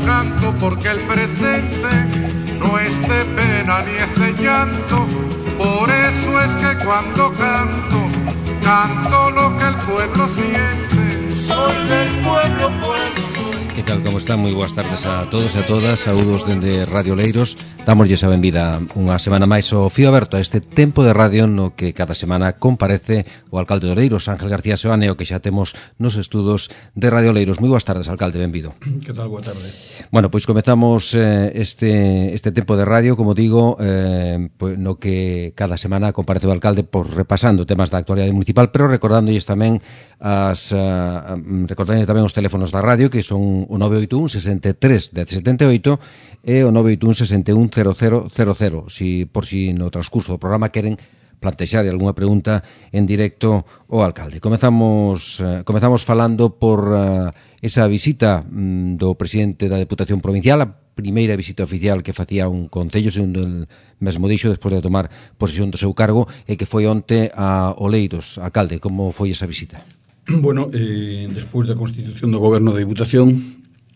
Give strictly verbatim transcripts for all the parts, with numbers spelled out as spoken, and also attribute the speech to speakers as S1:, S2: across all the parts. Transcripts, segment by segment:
S1: canto porque el presente no es de pena ni es de llanto. Por eso es que cuando canto, canto lo que el pueblo siente. Soy del pueblo, pueblo.
S2: Que tal, como están? Moi boas tardes a todos e a todas. Saúdos dende Radio Leiros. Dámoslle a benvida unha semana máis ao Fío Aberto, a este tempo de radio no que cada semana comparece o alcalde de Oleiros, Ángel García Seoane, o que xa temos nos estudos de Radio Leiros. Moi boas tardes, alcalde, benvido.
S3: Que tal, boa tarde.
S2: Bueno, pois comezamos eh, este este tempo de radio, como digo, eh, pues, no que cada semana comparece o alcalde por repasando temas da actualidade municipal, pero recordándolles tamén as uh, recordándolle tamén os teléfonos da radio, que son o nove oito un, sesenta e tres, dez setenta e oito e o nove oito un, sesenta e un, cero cero cero cero, si, por si no transcurso do programa queren plantexar algunha pregunta en directo ao alcalde. Comezamos uh, comezamos falando por uh, esa visita um, do presidente da Deputación Provincial, a primeira visita oficial que facía un concello, segundo el mesmo dixo, despois de tomar posesión do seu cargo, e que foi onte a Oleiros. Alcalde, como foi esa visita?
S3: Bueno, eh, despois da constitución do goberno da Diputación,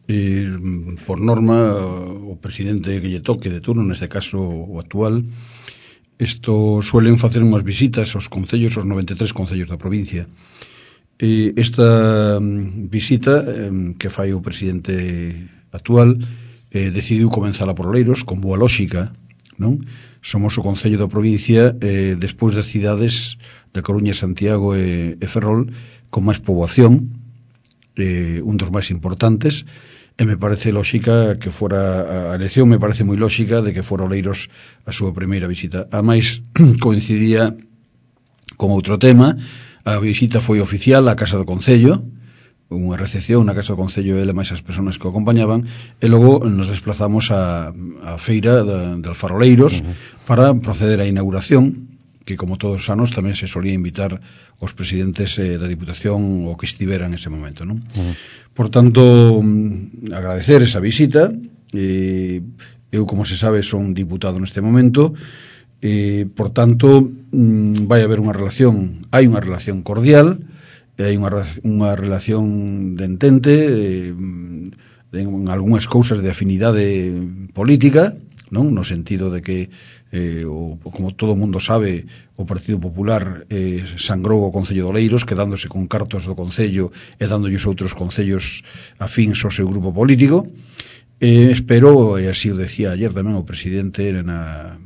S3: eh, por norma, o presidente que lle toque de turno, neste caso o actual, isto suelen facer unhas visitas aos concellos, aos noventa e tres concellos da provincia. Eh, esta visita eh, que fai o presidente actual eh, decidiu comenzala por Oleiros, con boa lógica, non? Somos o concello da provincia eh, despois das cidades de Coruña, Santiago e, e Ferrol con máis poboación, eh, un dos máis importantes, e me parece lógica que fora a elección, me parece moi lógica de que fora Oleiros a súa primeira visita. A máis coincidía con outro tema. A visita foi oficial á Casa do Concello, unha recepción na Casa do Concello, ele máis as persoas que o acompañaban, e logo nos desplazamos a, a feira de, de Alfaroleiros uh-huh. para proceder á inauguración, que como todos os anos tamén se solía invitar os presidentes eh, da Diputación o que estiveran en ese momento, non? Uh-huh. Por tanto, agradecer esa visita. eh, eu, como se sabe, son diputado neste momento, eh, por tanto vai haber unha relación, hai unha relación cordial, hai unha, unha relación de entente, eh, en algunhas cousas de afinidade política, non? No sentido de que Eh, o, como todo o mundo sabe, o Partido Popular eh, sangrou o Concello de Oleiros, quedándose con cartos do Concello e dándolles outros concellos afíns ao seu grupo político. Eh, espero, e así o decía ayer tamén o presidente na,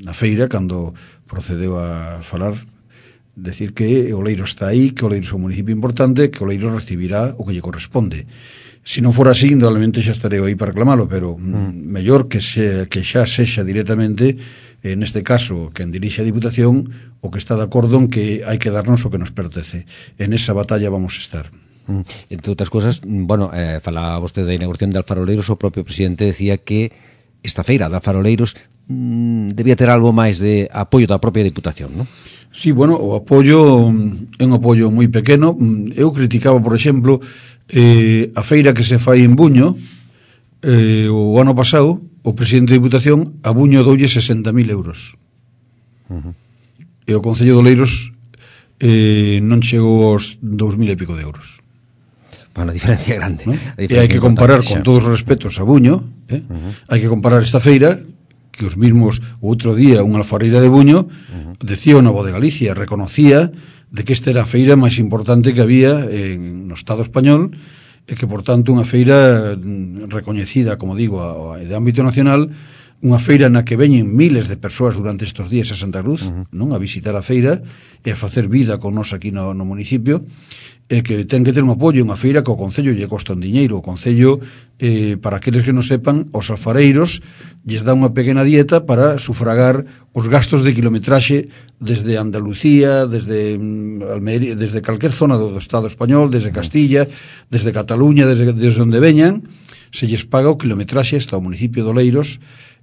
S3: na feira, cando procedeu a falar, decir que Oleiros está aí, que Oleiros é un municipio importante, que Oleiros recibirá o que lle corresponde. Se non fora así, indudablemente xa estarei aí para reclamalo, pero mm. mellor que, se, que xa sexa directamente, en este caso, quen dirixe a Diputación, o que está de acordo en que hai que darnos o que nos pertence. En esa batalla vamos a estar.
S2: Mm. Entre outras cosas, bueno, eh, falaba vostede da inauguración de Alfaroleiros, o propio presidente decía que esta feira de Alfaroleiros mm, debía ter algo máis de apoio da propia Diputación, non?
S3: Sí, bueno, o apoio é un apoio moi pequeno. Eu criticaba, por exemplo, eh, a feira que se fai en Buño, eh, o ano pasado, o presidente da Diputación a Buño doulle sesenta mil euros. Uh-huh. E o Concello de Oleiros eh, non chegou aos dous mil e pico de euros.
S2: Bueno, a diferencia é grande,
S3: ¿no?
S2: Diferencia
S3: e hai que comparar
S2: xa.
S3: con todos os respetos a Buño, eh? uh-huh. hai que comparar esta feira que os mismos o outro día unha alfareira de Buño uh-huh. decía o Novo de Galicia, reconocía de que esta era a feira máis importante que había en, no Estado español, e que, por tanto, unha feira recoñecida, como digo, a, a, de ámbito nacional, unha feira na que veñen miles de persoas durante estes días a Santa Cruz, uh-huh. non, a visitar a feira e a facer vida con nos aquí no, no municipio, e que ten que ter un apoio, unha feira que o Concello lle costa un diñeiro. O Concello, eh, para aqueles que non sepan, os alfareiros lles dá unha pequena dieta para sufragar os gastos de kilometraxe desde Andalucía, desde Almería, desde calquer zona do, do Estado español, desde Castilla, desde Cataluña, desde, desde onde veñan, se lles paga o kilometraxe hasta o municipio de Oleiros,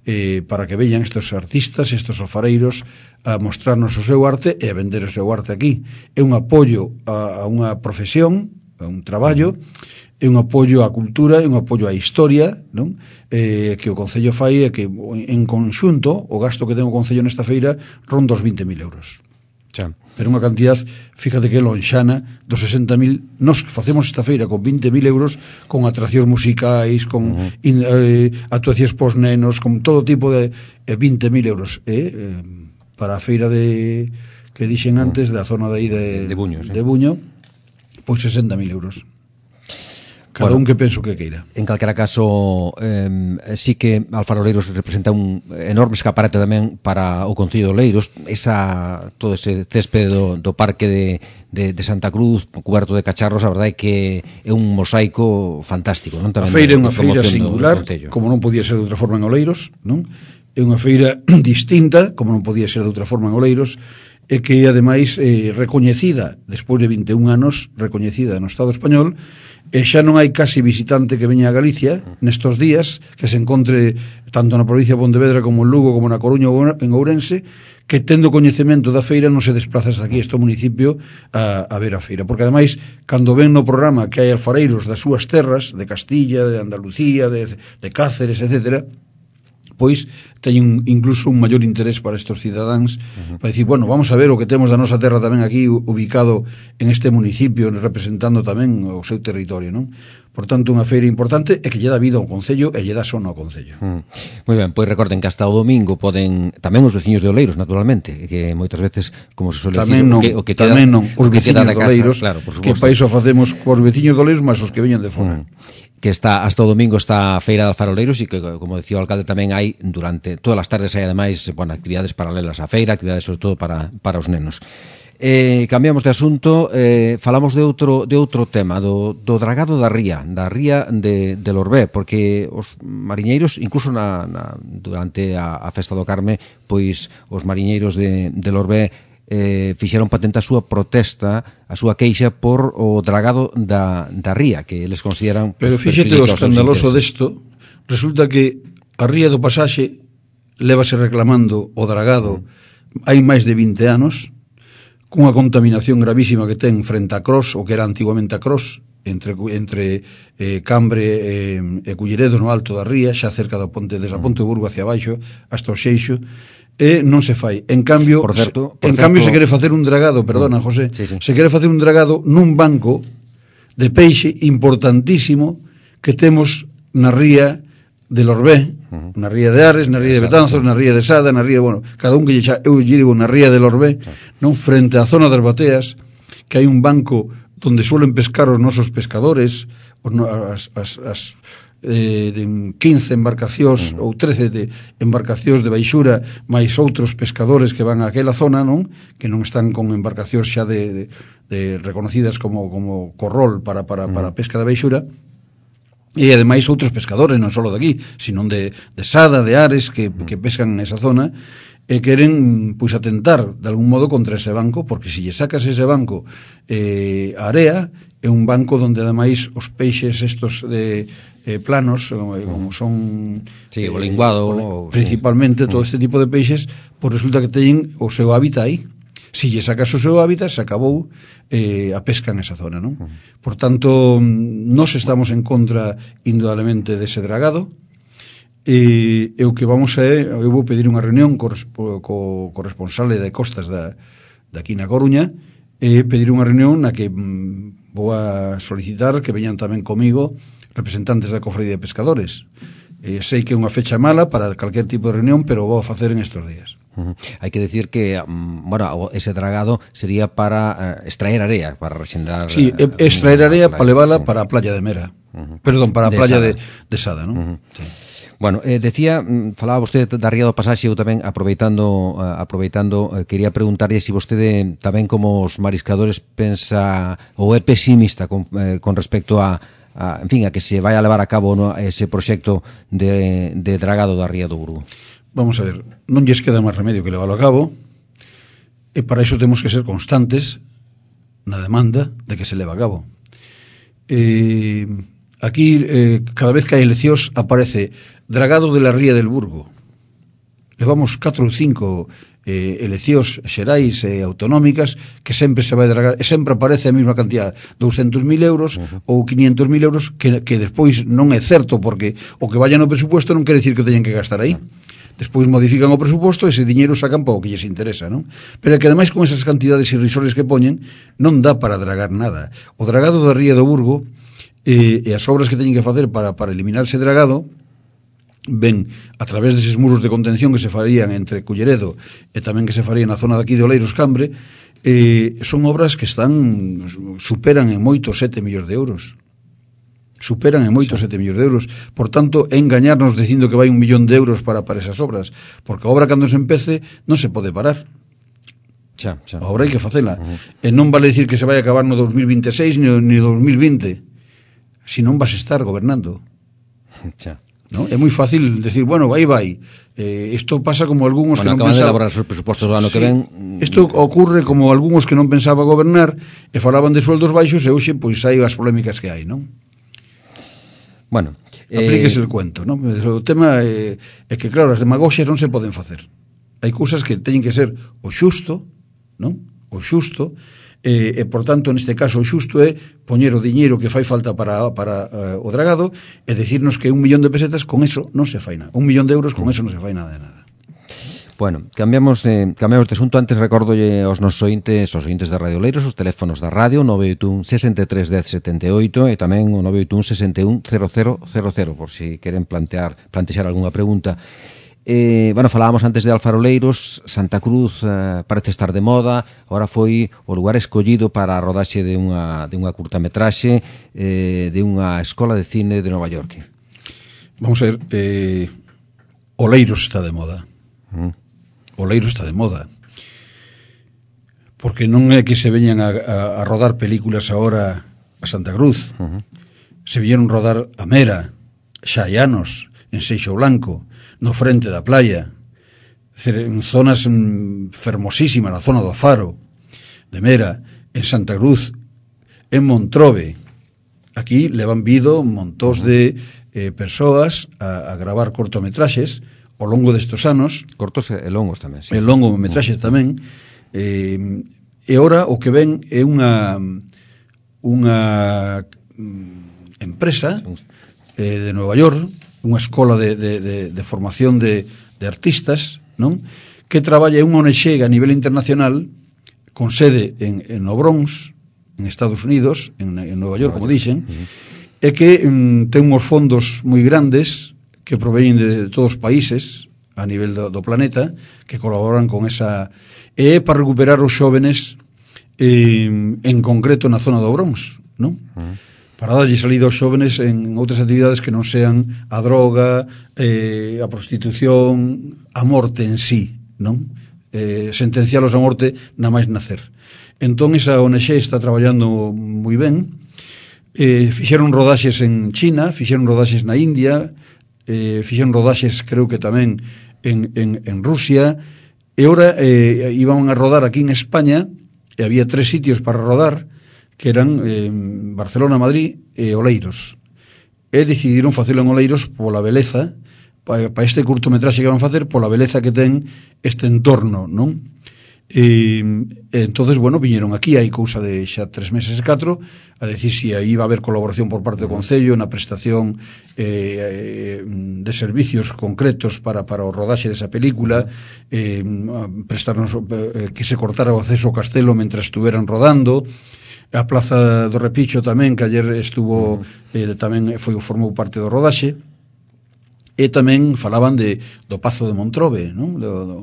S3: eh, para que veñan estes artistas, estes alfareiros, a mostrarnos o seu arte e a vender o seu arte aquí. É un apoio a, a unha profesión, a un traballo, é un apoio á cultura, é un apoio á historia, non? Eh, que o Concello fai é que en conxunto o gasto que ten o Concello nesta feira ronda os vinte mil euros.
S2: Xa.
S3: Pero unha cantidad, fíjate que lonxana dos sesenta mil. Nos facemos esta feira con vinte mil euros, con atraccións musicais, con uh-huh. in, eh, actuacións pos nenos, con todo tipo de eh, vinte mil euros eh, eh, para a feira de que dixen antes, uh-huh. da zona de aí de,
S2: de Buño, sí.
S3: de Buño, pois sesenta mil euros. Cada bueno, un que penso que queira.
S2: En calquera caso, eh, sí que Alfaroleiros representa un enorme escaparate tamén para o Concello de Oleiros. Esa, todo ese céspede do, do parque de, de, de Santa Cruz, coberto de cacharros, a verdade é que é un mosaico fantástico. Non?
S3: A feira é unha feira singular, do, do como non podía ser de outra forma en Oleiros, non? É unha feira distinta, como non podía ser de outra forma en Oleiros, e que, ademais, eh, recoñecida, despois de vinte e un anos, recoñecida no Estado español, e xa non hai casi visitante que veña a Galicia nestos días que se encontre tanto na provincia de Pontevedra como en Lugo como na Coruña ou en Ourense que tendo coñecemento da feira non se desplaza hasta aquí este municipio a, a ver a feira, porque ademais cando ven no programa que hai alfareiros das súas terras de Castilla, de Andalucía, de, de Cáceres, etcétera, pois teñen incluso un maior interés para estes cidadáns, uh-huh. para dicir, bueno, vamos a ver o que temos da nosa terra tamén aquí ubicado en este municipio, representando tamén o seu territorio, non? Por tanto, unha feira importante e que lle dá vida ao Concello e lle dá son ao Concello.
S2: Mm. Moi ben, pois recorden que hasta o domingo poden, tamén os veciños de Oleiros, naturalmente, que moitas veces, como se suele
S3: tamén
S2: decir,
S3: non,
S2: o que, o que queda,
S3: tamén non, os veciños de Oleiros,
S2: claro,
S3: que para iso facemos cos veciños de Oleiros máis os que veñen de fora.
S2: Mm. Que está hasta o domingo está a feira de Alfaroleiros e que, como decía o alcalde, tamén hai durante todas as tardes hai ademais, bueno, actividades paralelas á feira, actividades sobre todo para, para os nenos. Eh, cambiamos de asunto, eh, falamos de outro de outro tema, do, do dragado da ría, da ría de, de Lorbé, porque os mariñeiros, incluso na, na, durante a, a festa do Carme, pois os mariñeiros de, de Lorbé eh, fixeron patente a súa protesta, a súa queixa por o dragado da, da ría, que eles consideran...
S3: Pero fíxate o escandaloso desto, resulta que a ría do Pasaxe lévase reclamando o dragado mm. hai máis de vinte anos, cunha contaminación gravísima que ten frente a Cros, o que era antiguamente a Cros, entre, entre eh, Cambre e, e Culleredo no alto da ría, xa cerca da ponte, desde a Ponte de Burgo hacia baixo, hasta o Xeixo, e non se fai. En cambio,
S2: por certo, por
S3: en
S2: certo,
S3: cambio se quere facer un dragado, perdona, José,
S2: sí, sí.
S3: se quere facer un dragado nun banco de peixe importantísimo que temos na ría de Lorbé, uh-huh. na ría de Ares, na ría de Betanzos, na ría de Sada, na ría, bueno, cada un que lle xa, eu lle digo na ría de Lorbé, uh-huh. non, frente á zona das bateas, que hai un banco donde suelen pescar os nosos pescadores, os, as, as, as eh, de quince embarcacións uh-huh. ou trece de embarcacións de baixura máis outros pescadores que van a aquela zona, non? Que non están con embarcacións xa de, de, de reconocidas como, como corrol para, para, uh-huh. para pesca de baixura. E ademais outros pescadores, non só de aquí, sino de, de Sada, de Ares, que, que pescan nesa zona, e queren, pois, atentar de algún modo contra ese banco, porque se lle sacas ese banco eh, a area, é un banco donde ademais os peixes estos de eh, planos, eh, como son
S2: sí, o linguado,
S3: eh, principalmente sí. Todo este tipo de peixes, pois resulta que teñen o seu hábitat aí. Si lle sacas o seu hábitat, se acabou eh, a pesca nesa zona, non? Por tanto, nós estamos en contra indudablemente dese dragado, e, e o que vamos a é, eu vou pedir unha reunión co, co, co responsable de costas da, de aquí na Coruña, e pedir unha reunión na que mm, vou a solicitar que veñan tamén comigo representantes da Cofradía de Pescadores. Eh, sei que é unha fecha mala para calquer tipo de reunión, pero vou a facer en estes días.
S2: Uh-huh. Hai que decir que, bueno, ese dragado sería para uh, extraer area, para rexendar...
S3: Sí, uh, extraer area para levála para a playa de Mera. Uh-huh. Perdón, para a playa de, de Sada, non? Uh-huh. Sí.
S2: Bueno, eh, decía, falaba vostede da ría do Pasaxe, eu tamén aproveitando, uh, aproveitando uh, quería preguntarlle se si vostede tamén como os mariscadores pensa ou é pesimista con, eh, con respecto a, a, en fin, a que se vai a levar a cabo, no, ese proxecto de, de dragado da ría do Burgo.
S3: Vamos a ver, non lles queda máis remedio que leválo a cabo, e para iso temos que ser constantes na demanda de que se leva a cabo. Eh, aquí, eh, cada vez que hai eleccións, aparece dragado de la ría del Burgo. Levamos catro ou cinco eh, eleccións xerais e eh, autonómicas que sempre se vai dragar, e sempre aparece a mesma cantidad, douscentos mil euros uh-huh. ou quinientos mil euros, que, que despois non é certo, porque o que vaya no presupuesto non quere decir que teñen que gastar aí. Uh-huh. despois modifican o presuposto e ese diñeiro sacan para o que lles interesa, non? Pero é que ademais con esas cantidades irrisorias que poñen non dá para dragar nada. O dragado da Ría do Burgo e, e as obras que teñen que facer para, para eliminar ese dragado ven a través deses muros de contención que se farían entre Culleredo e tamén que se farían na zona daqui de Oleiros Cambre, eh, son obras que están superan en moito sete millóns de euros. Superan en moito sete millóns de euros. Por tanto, é engañarnos dicindo que vai un millón de euros para, para esas obras, porque a obra cando se empece non se pode parar.
S2: Xa, xa.
S3: A obra hai que facela. Uh-huh. E non vale decir que se vai a acabar no dos mil veintiséis ni no dos mil vinte, se non vas estar gobernando.
S2: Xa.
S3: ¿No? É moi fácil decir, bueno, aí vai. Eh, isto pasa como algúns
S2: bueno,
S3: que non
S2: pensaban... Bueno, acaban de elaborar os presupostos do ano sí, que ven...
S3: Isto ocurre como algúns que non pensaba gobernar e falaban de sueldos baixos e hoxe, pois, hai as polémicas que hai, non?
S2: Bueno...
S3: Aplíquese
S2: eh...
S3: el cuento, non? O tema é, é que, claro, as demagoxias non se poden facer. Hai cousas que teñen que ser o xusto, non? O xusto... E, e por tanto neste caso o xusto é poñer o diñeiro que fai falta para, para uh, o dragado e decirnos que un millón de pesetas con eso non se fai nada, un millón de euros con eso non se fai nada de nada.
S2: Bueno, cambiamos de, cambiamos de asunto. Antes recórdolle aos nosos ointes, aos ointes de Radio Oleiros, os teléfonos da radio nove oito un, sesenta e tres, dez, setenta e oito e tamén o nove oito un, sesenta e un, cero cero cero cero por si queren plantear, plantexar algunha pregunta. Eh, bueno, falábamos antes de Alfaroleiros. Santa Cruz eh, parece estar de moda. Ahora foi o lugar escollido para a rodaxe de unha, de unha curtametraxe eh, de unha escola de cine de Nova York.
S3: Vamos a ver, eh, Oleiros está de moda. Mm. Oleiros está de moda. Porque non é que se veñan a, a, a rodar películas ahora a Santa Cruz. Uh-huh. Se viñeron rodar a Mera, xa hai anos, en Seixo Blanco, no frente da playa, en zonas fermosísimas, na zona do Faro, de Mera, en Santa Cruz, en Montrobe. Aquí levan vido montóns de eh, persoas a, a gravar cortometraxes ao longo destes anos.
S2: Cortos e longos tamén, sí.
S3: E longo metraxes tamén. Eh, e ora o que ven é unha unha empresa eh, de Nova York, unha escola de, de, de, de formación de, de artistas, non? Que traballa unha O N G a nivel internacional con sede en, en o Bronx, en Estados Unidos, en, en Nova York, como dixen, uh-huh. E que um, ten uns fondos moi grandes que proveñen de, de todos os países a nivel do, do planeta, que colaboran con esa... E para recuperar os xóvenes eh, en concreto na zona do Bronx, non? Uh-huh. Para darlle salida aos xóvenes en outras actividades que non sean a droga, eh, a prostitución, a morte en sí, non? Eh, sentencialos a morte na máis nacer. Entón, esa O N G está traballando moi ben. Eh, fixeron rodaxes en China, fixeron rodaxes na India, eh, fixeron rodaxes, creo que tamén, en, en, en Rusia, e ora eh, iban a rodar aquí en España, e había tres sitios para rodar, que eran eh, Barcelona, Madrid e Oleiros. E decidiron facelo en Oleiros pola beleza, para pa este curtometraxe que van facer, pola beleza que ten este entorno, non? E, e entonces, bueno, viñeron aquí, hai cousa de xa tres meses e catro, a decir si aí iba a haber colaboración por parte do Concello na prestación eh, de servicios concretos para, para o rodaxe desa película, eh, prestarnos eh, que se cortara o acceso ao castelo mentre estuveran rodando. A Plaza do Repicho tamén, que ayer estuvo, eh, tamén foi formou parte do rodaxe, e tamén falaban de do Pazo de Montrobe, non? Do, do,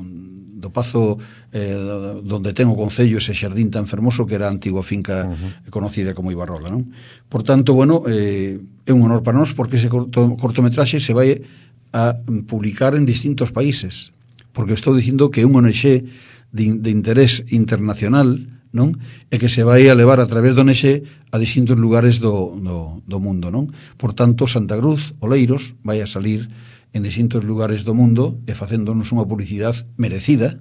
S3: do Pazo eh, donde ten o Concello ese xardín tan fermoso que era a antigua finca uh-huh. conocida como Ibarrola, non? Por tanto, bueno, eh, é un honor para nós porque ese corto, cortometraxe se vai a publicar en distintos países, porque estou dicindo que é un O N G de, de interés internacional, non? E que se vai a levar a través do O N G a distintos lugares do, do, do mundo, non? Por tanto, Santa Cruz, Oleiros, vai a salir en distintos lugares do mundo e facéndonos unha publicidade merecida,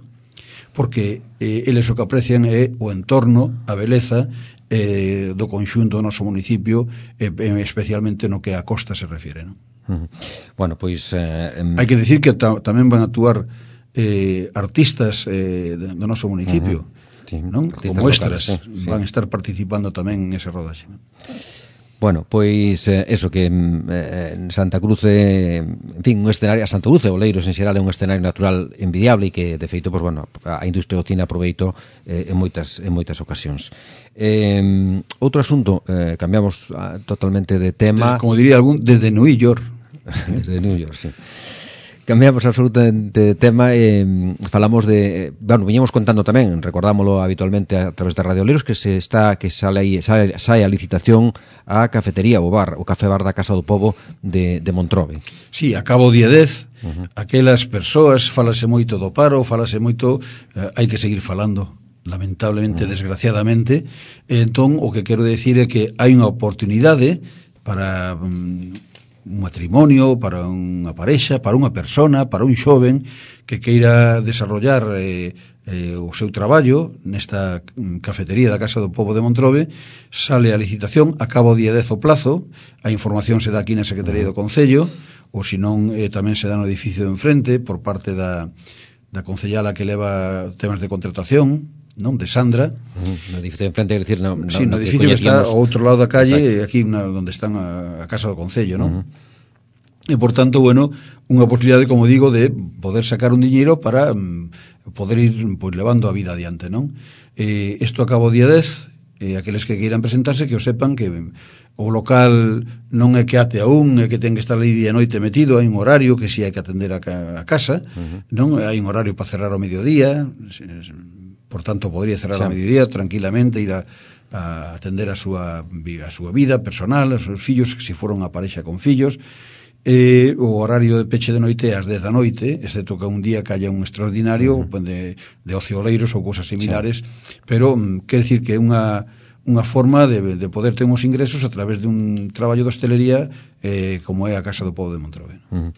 S3: porque eh, eles o que aprecian é o entorno, a beleza eh, do conxunto do noso municipio, e eh, especialmente no que a costa se refiere, non?
S2: Uh-huh. Bueno, pois... Eh, em...
S3: Hai que decir que ta, tamén van a actuar eh, artistas eh, do noso municipio, uh-huh. Sí, non? Como extras, locales, sí, sí. Van a estar participando tamén en ese rodaxe.
S2: Bueno, pois eh, eso que eh, en Santa Cruz, eh, en fin, un escenario, a Santa Cruz e Oleiros en xeral é un escenario natural envidiable e que, de feito, pois, bueno, a industria do cine aproveitou eh, en moitas en moitas ocasións. Eh, outro asunto, eh, cambiamos ah, totalmente de tema.
S3: Desde, como diría algún, desde New York.
S2: Desde New York, sí. Cambiamos absolutamente de tema e eh, falamos de, bueno, viñemos contando tamén, recordámoslo habitualmente a través de Radio Oleiros, que se está que sale aí, sale, sale a licitación a cafetería, o bar, o café bar da Casa do Pobo de, de Montrobe.
S3: Sí, a cabo día dez, uh-huh. Aquelas persoas, falase moito do paro, falase moito, eh, hai que seguir falando, lamentablemente, uh-huh. desgraciadamente. Entón, o que quero decir é que hai unha oportunidade para um, un matrimonio, para unha parexa, para unha persona, para un xoven que queira desarrollar eh, eh, o seu traballo nesta cafetería da Casa do Pobo de Montrobe. Sale a licitación, a cabo día dez o plazo, a información se dá aquí na Secretaría do Concello, ou senón eh, tamén se dá no edificio de enfrente por parte da, da concellala que leva temas de contratación, non, de Sandra. Uh-huh.
S2: No edificio de enfrente, quer decir, no, no,
S3: sí, no, no edificio que, que está ao outro lado da calle, aquí na, onde están a, a Casa do Concello, non? Uh-huh. E, por tanto, bueno, unha posibilidade, como digo, de poder sacar un diñeiro para um, poder ir pues, levando a vida adiante, non? Eh, isto acaba o día dez, eh, aqueles que queiran presentarse que o sepan que o local non é que ate a un, é que ten que estar ali día e noite metido, hai un horario que si hai que atender a, a casa, uh-huh. non? Hai un horario para cerrar ao mediodía, por tanto, podría cerrar ao mediodía tranquilamente, ir a, a atender a súa, a súa vida personal, a seus fillos, que se foron a parexa con fillos. Eh, o horario de peche de noite é ás dez da noite, excepto que un día que haya un extraordinario uh-huh. de, de ocioleiros ou cousas similares, sí. Pero mm, quer decir que é unha, unha forma de, de poder ter uns ingresos a través de un traballo de hostelería eh, como é a Casa do Pobo de Montrobe.
S2: Uh-huh.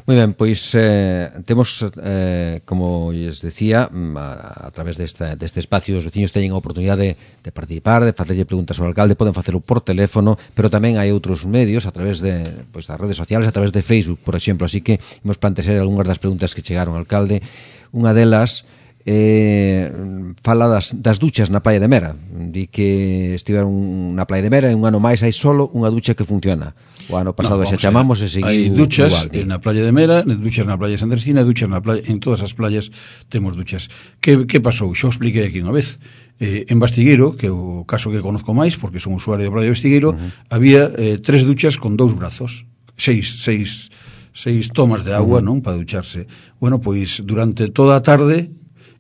S2: Moi ben, pois eh, temos, eh, como lles decía, a, a través desta, deste espacio os veciños teñen a oportunidade de, de participar, de facerlle preguntas ao alcalde, poden facelo por teléfono, pero tamén hai outros medios a través de, pois, das redes sociales, a través de Facebook, por exemplo, así que imos plantear algunhas das preguntas que chegaron ao alcalde. Unha delas eh, fala das, das duchas na Praia de Mera. Di que estiveron na Praia de Mera e un ano máis hai solo unha ducha que funciona. O ano pasado no, xa chamamos e seguiu.
S3: Hai duchas igual, na Praia de Mera, duchas na Praia de Santa Cristina, duchas na playa, en todas as playas temos duchas. Que, que pasou? Xa o expliquei aquí unha vez. Eh, en Bastigueiro, que é o caso que conozco máis, porque son usuario de Praia de Bastigueiro, uh-huh. había eh, tres duchas con dous brazos, seis, seis, seis tomas de agua, uh-huh. non, para ducharse. Bueno, pois durante toda a tarde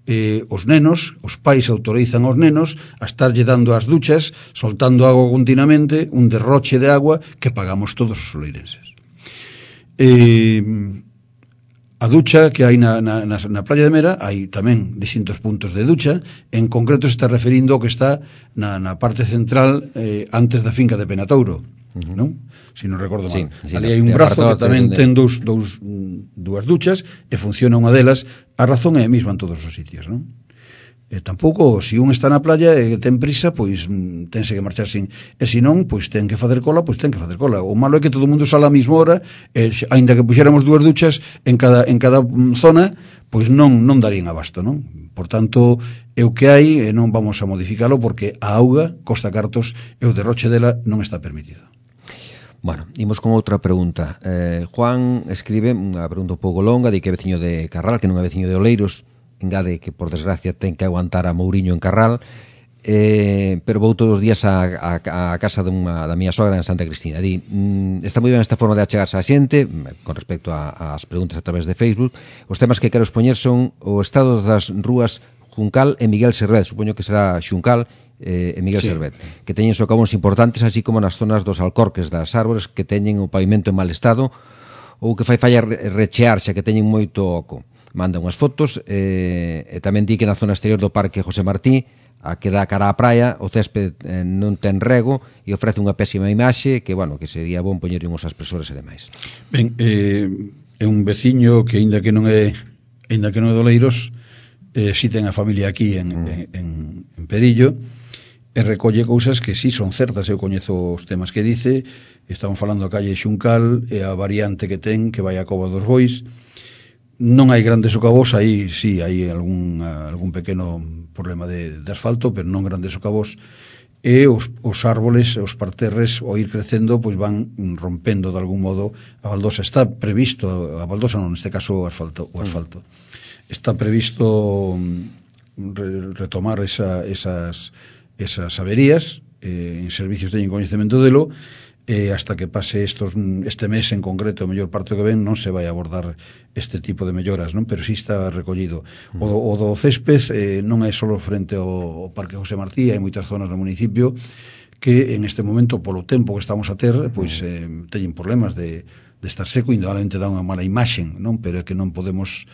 S3: eh, os nenos, os pais autorizan aos nenos a estarlle dando as duchas, soltando agua continuamente, un derroche de agua que pagamos todos os oleirenses. Eh, a ducha que hai na, na, na Praia de Mera, hai tamén distintos puntos de ducha, en concreto se está referindo ao que está na, na parte central eh, antes da finca de Penatouro, uh-huh. non? Si non recordo mal. Sí, sí, ali hai un brazo que tamén de... ten dous, dous, dúas duchas e funciona unha delas. A razón é a mesma en todos os sitios, non? E tampouco, se un está na playa e ten prisa, pois tense que marchar sin. E se non, pois ten que facer cola, pois ten que facer cola. O malo é que todo o mundo sala a mesma hora, e aínda que puxéramos dúas duchas en cada, en cada zona, pois non, non darían abasto, non? Por tanto, é o que hai e non vamos a modificalo porque a auga costa cartos e o derroche dela non está permitido.
S2: Bueno, imos con outra pregunta. Eh, Juan escribe unha pregunta un pouco longa, di que é veciño de Carral, que non é veciño de Oleiros, engade que, por desgracia, ten que aguantar a Mouriño en Carral, eh, pero vou todos os días a, a, a casa dunha, da miña sogra en Santa Cristina. Di, mm, está moi ben esta forma de achegarse á xente, con respecto ás preguntas a través de Facebook. Os temas que quero expoñer son o estado das rúas Juncal e Miguel Servet, supoño que será Xuncal, eh, e Miguel sí. Servet, que teñen socavóns importantes, así como nas zonas dos alcorques das árbores que teñen o pavimento en mal estado ou que fai falla rechear, xa que teñen moito oco. Manda unhas fotos eh, e tamén di que na zona exterior do Parque José Martí, a que dá cara á praia, o césped eh, non ten rego e ofrece unha pésima imaxe que, bueno, que sería bon poñer uns aspresores e demais.
S3: Ben, eh, é un veciño que, aínda que non é aínda que non é de Oleiros, eh, si ten a familia aquí en, mm. en, en, en Perillo, e recolle cousas que sí son certas. Eu coñezo os temas que dice. Estaban falando a calle Xuncal e a variante que ten, que vai a Cova dos Bois. Non hai grandes socavós, aí sí, hai algún, algún pequeno problema de, de asfalto, pero non grandes socavós. e os, os árboles, os parterres, ao ir crecendo, pois van rompendo de algún modo a baldosa. Está previsto, a baldosa non, neste caso o asfalto, o asfalto. Está previsto re, retomar esa, esas, esas averías, eh, en servicios teñen coñecemento delo, e hasta que pase estos, este mes en concreto, o mellor parte que ven, non se vai abordar este tipo de melloras, non? Pero si está recollido. O, o do césped eh, non é só frente ao, ao Parque José Martí, hai moitas zonas do municipio que en este momento, polo tempo que estamos a ter, pois eh, teñen problemas de, de estar seco, indudablemente dá unha mala imaxen, non? Pero é que non podemos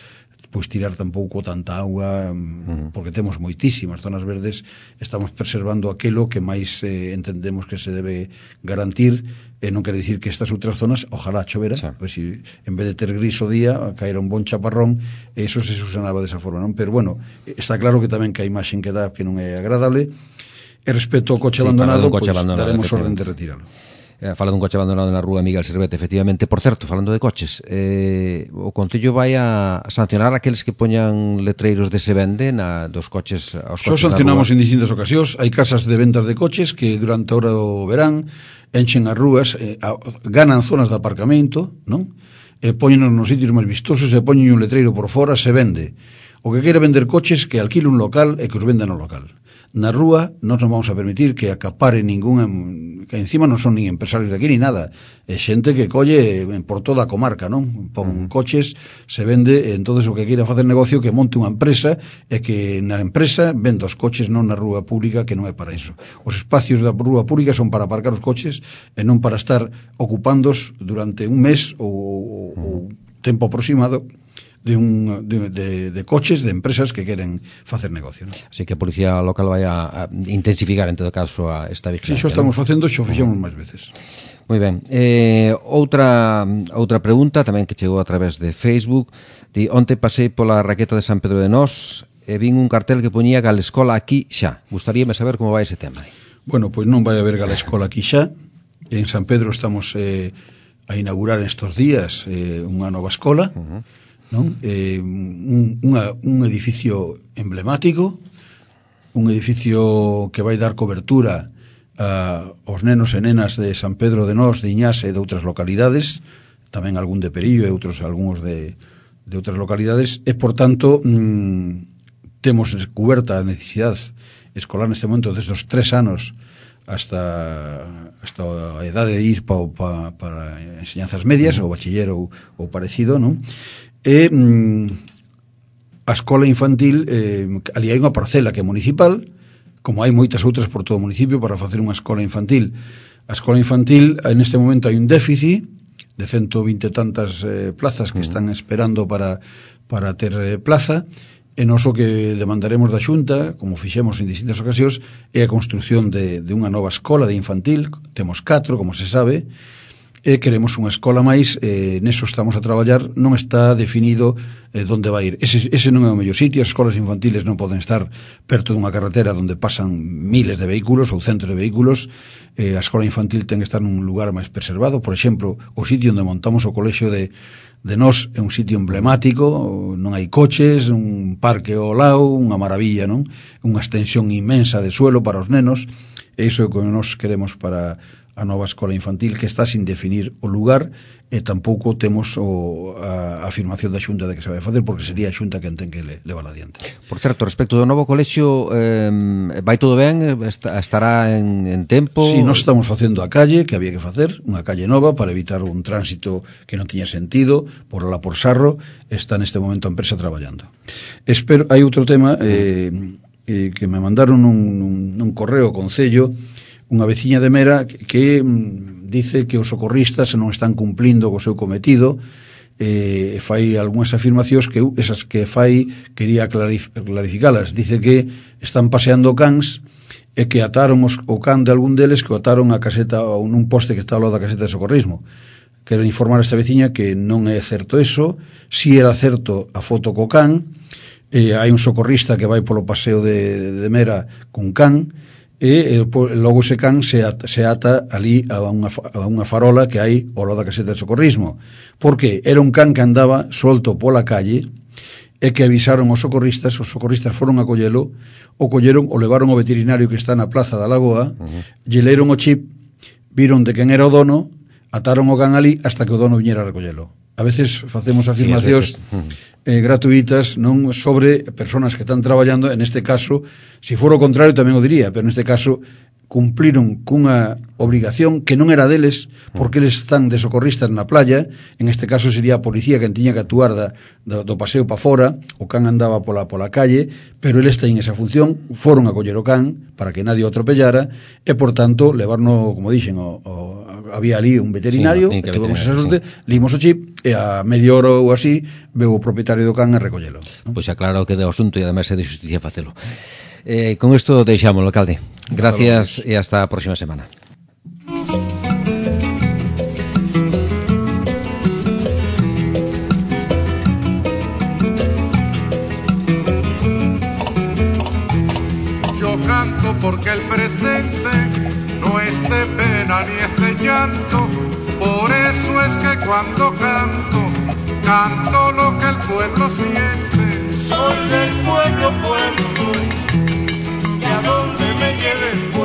S3: pois tirar tampouco tanta auga, uh-huh. porque temos moitísimas zonas verdes, estamos preservando aquilo que máis eh, entendemos que se debe garantir, e non quere dicir que estas outras zonas, ojalá chovera, sí. Pois si en vez de ter gris o día, caera un bon chaparrón, e iso se susanaba desa forma, non? Pero bueno, está claro que tamén que a imaxen que dá que non é agradable, e respecto ao coche sí, abandonado, pois daremos orden de retiralo.
S2: Eh, fala dun coche abandonado na rúa Miguel Servete, efectivamente. Por certo, falando de coches, eh, o Concello vai a sancionar aqueles que poñan letreiros de se vende na, dos coches aos coches.
S3: Só sancionamos en distintas ocasións. Hai casas de ventas de coches que durante a hora do verán enchen as rúas, eh, a, ganan zonas de aparcamento, non? E poñenos nos sitios máis vistosos e poñen un letreiro por fora, se vende. O que queira vender coches, que alquile un local e que os venda no local. Na rúa non nos vamos a permitir que acapare ningún, que encima non son nin empresarios de aquí ni nada, é xente que colle por toda a comarca, non? Pon uh-huh. coches, se vende, entonces o que queira facer negocio que monte unha empresa e que na empresa venda os coches, non na rúa pública, que non é para iso. Os espacios da rúa pública son para aparcar os coches e non para estar ocupándos durante un mes ou, ou, ou tempo aproximado de, un, de, de, de coches de empresas que queren facer negocio, ¿no?
S2: Así que a Policía Local vai a, a intensificar en todo caso a esta vigilancia.
S3: Si, xo estamos ¿no? facendo, xo fixemos máis veces.
S2: Moi ben. Eh, outra outra pregunta tamén que chegou a través de Facebook. Di, onte pasei pola raqueta de San Pedro de Nós e vin un cartel que poñía Galescola aquí xa. Gustaríame saber como vai ese tema.
S3: Bueno, pois non vai haber Galescola aquí xa. En San Pedro estamos eh, a inaugurar estes días eh, unha nova escola. Uh-huh. Non? Eh, un, unha, un edificio emblemático, un edificio que vai dar cobertura a, aos nenos e nenas de San Pedro de Nós, de Iñás e de outras localidades, tamén algún de Perillo e outros algúns de, de outras localidades, e por tanto mmm, temos cuberta a necesidade escolar neste momento desde os tres anos hasta, hasta a edade de ir pa, pa, para enseñanzas medias, ou bachiller ou, ou parecido, non? E mm, a escola infantil, eh, ali hai unha parcela que é municipal, como hai moitas outras por todo o municipio para facer unha escola infantil. A escola infantil, neste momento hai un déficit de ciento veinte tantas eh, plazas que están esperando para, para ter eh, plaza, e nos o que demandaremos da Xunta, como fixemos en distintas ocasións, é a construción de, de unha nova escola de infantil. Temos catro, como se sabe, e queremos unha escola máis, eh, neso estamos a traballar, non está definido eh, onde vai ir. Ese, ese non é o mellor sitio, as escolas infantiles non poden estar perto dunha carretera onde pasan miles de vehículos ou centros de vehículos. Eh, a escola infantil ten que estar nun lugar máis preservado. Por exemplo, o sitio onde montamos o colexio de, de Nós é un sitio emblemático, non hai coches, un parque ao lado, unha maravilla, non? Unha extensión inmensa de suelo para os nenos, e iso é o que nós queremos para a nova escola infantil, que está sin definir o lugar, e tampouco temos o, a, a afirmación da Xunta de que se vai facer, porque sería a Xunta quen ten que le, levar adiante.
S2: Por certo, respecto do novo colexio, eh, vai todo ben? Estará en, en tempo?
S3: Si, sí, nós estamos facendo a calle que había que facer, unha calle nova para evitar un tránsito que non tiña sentido, por la por Sarro. Está neste momento a empresa traballando. Espero, hai outro tema eh, eh, que me mandaron un, un, un correo ao Concello, unha veciña de Mera que, que mm, dice que os socorristas non están cumplindo co seu cometido, e eh, fai algunhas afirmacións que esas que fai quería clarif clarificalas. Dice que están paseando cans e que ataron os, o can de algún deles, que o ataron a caseta ou nun poste que está ao lado da caseta de socorrismo. Quero informar a esta veciña que non é certo eso. Si era certo a foto co can, eh, hai un socorrista que vai polo paseo de, de Mera cun can, e logo ese can se ata, se ata ali a unha, a unha farola que hai ao lado da caseta de socorrismo, porque era un can que andaba solto pola calle é que avisaron os socorristas, os socorristas foron a collelo, o colleron, o levaron ao veterinario que está na Plaza da Lagoa, uh-huh. lle leron o chip, viron de quen era o dono, ataron o can ali hasta que o dono viñera a recollelo. A veces facemos afirmacións sí, veces. eh, gratuitas non sobre personas que están traballando, en este caso, se for o contrario tamén o diría, pero en este caso cumpliron cunha obrigación que non era deles, porque eles están de socorristas na playa, en este caso sería a policía que tiña que actuar da, do, do paseo pa fora, o can andaba pola, pola calle, pero eles teñen esa función, foron a coller o can para que nadie o atropellara, e por tanto, levarno, como dixen, o, o, había ali un veterinario, sí, no, que tuvemos esa sorte, sí. Limos o chip, e a media hora ou así, veu o propietario do can a recollelo.
S2: ¿No? Pois pues aclaro que de asunto e ademais é de justicia facelo. Eh, con isto deixamos, alcalde. Gracias e hasta a próxima semana.
S1: Yo canto porque el presente no es de pena ni es de llanto, por eso es que cuando canto, canto lo que el pueblo siente. Soy del pueblo, pueblo soy, y a donde me lleve el pueblo